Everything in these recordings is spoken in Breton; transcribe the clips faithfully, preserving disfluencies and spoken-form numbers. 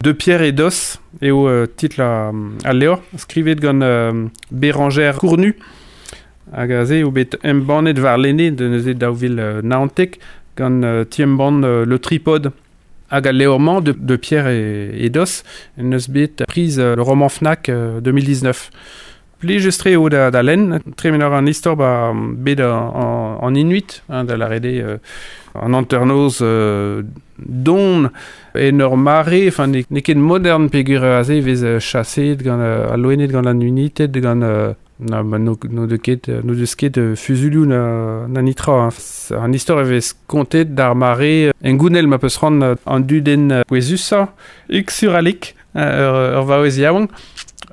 De Pierre et d'os eo euh, titl a, a levr, skrivet gant euh, Bérangère Cournu, hag aze eo bet embannet war lene de neuze daou vil euh, naontek gant euh, ti-embann euh, Le Tripode. Hag al levr-mañ de, de Pierre et, et d'os neus bet priz euh, le roman Fnac euh, deux mille dix-neuf. Plijus-tre eo da, da lenn, tremen ar an istor ba bet an, an Inuit, hein, da la rede euh, an hanternoz euh, don en ur mare, enfin, ne, ne ket modern peogwir aze vez euh, chaset gant euh, al loened gant an united gant euh, na, ba, no, no deus ket, no deus ket euh, fuzulioù na, na nitra. Hein. An istor e vez kontet d'ar mare en gounel ma peus ran an dudenn pouezusañ, Uksuralik, ur, ur vaouez yaouank.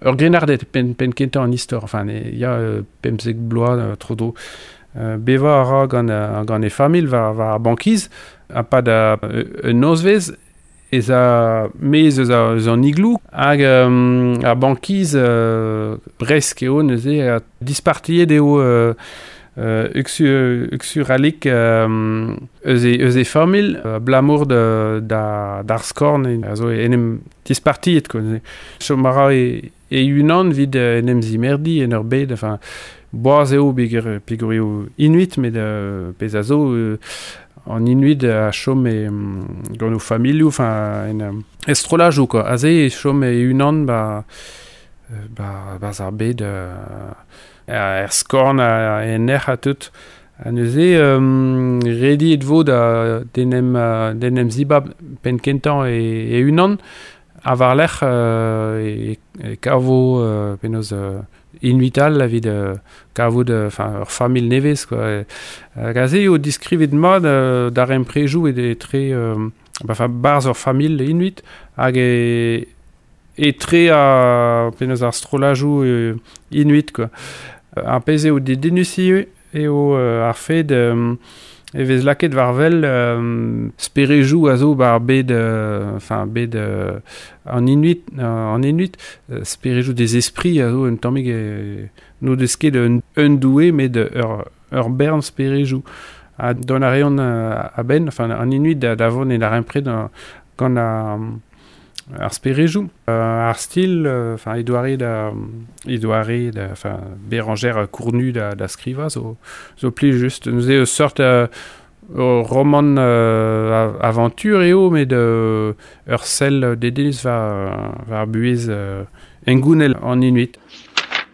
Ur grennarded pen, pen kentañ an istor, enfin, ne, ya euh, pemzek bloaz euh, tro dro. Euh, beva a ra gant, euh, gant e familh war, war ar bankiz, ha pa da euh, un nozvez ez a mez eus, a, eus an iglou, hag euh, ar bankiz euh, bresk eo neuze a dispartiet eo euh, euh, uksu, uksuralik euh, eus e, eus e familh, euh, blamour de, da, d'ar skorn, e, a zo en em dispartiet, quoi, neuze. Chom a ra e, e unan vid en em zimerdi en ur bed, enfin, boaz eo peogwir, peogwir eo Inuit, met euh, pezh a zo euh, an Inuit a chom e, mm, gant o familhoù, enfin, en, euh, estrolajoù, quoi. Aze e chom e unan ba, ba, ba ar bed, euh, er skorn a, en erc'h a tout. Ha neuze, euh, redi et vo da d'en em, d'en em zibab penn kentañ e, e unan, a war lerc'h, euh, e, e kavo, euh, penaos, euh, Inuital evit euh, kavout, euh, enfin, ur familh nevez, quoi. Hag aze eo diskrivet mat, euh, d'ar emprejoù e etre, euh, ba, enfin, barzh ur familh Inuit, hag e, etre a, penaos ar strollajoù, euh, Inuit, quoi. Ar pezh eo dedennus ivez eo, euh, ar fed, euh, e vez laket war wel, euh, sperejou a zo bar bed, euh, enfin, bed, euh, an Inuit, euh, an Inuit, euh, sperejou des esprits a zo un tammig, euh, no deus ket un, un doue, met ur, ur bern sperejou. Ha don a reont, euh, a-benn, enfin, an Inuit da, da vont en darempred an, gant ar, ar sperejou. Euh, ar stil, euh, enfin, edoare da, edoare da, enfin, Bérangère Cournu da, da skriva zo, zo pli just. Nous eo seurt, euh, ur roman, euh, aventure eo, met, euh, ur sell dedennus war, war buhez, euh, engounel an Inuit.